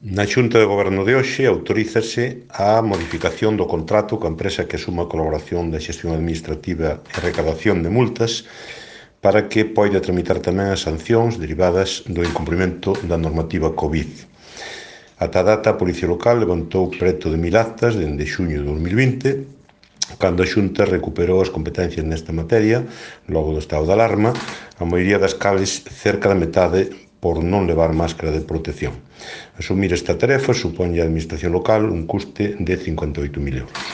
Na Xunta de Goberno de hoxe autorízase a modificación do contrato coa empresa que asuma a colaboración da xestión administrativa e recadación de multas para que poida tramitar tamén as sancións derivadas do incumprimento da normativa COVID. Ata a data, a Policía Local levantou preto de 1000 actas dende xuño de 2020, cando a Xunta recuperou as competencias nesta materia, logo do estado de alarma, a maioría das cales, cerca da metade, por non levar máscara de protección. Asumir esta tarefa suponlle á Administración local un custe de 58.000 euros.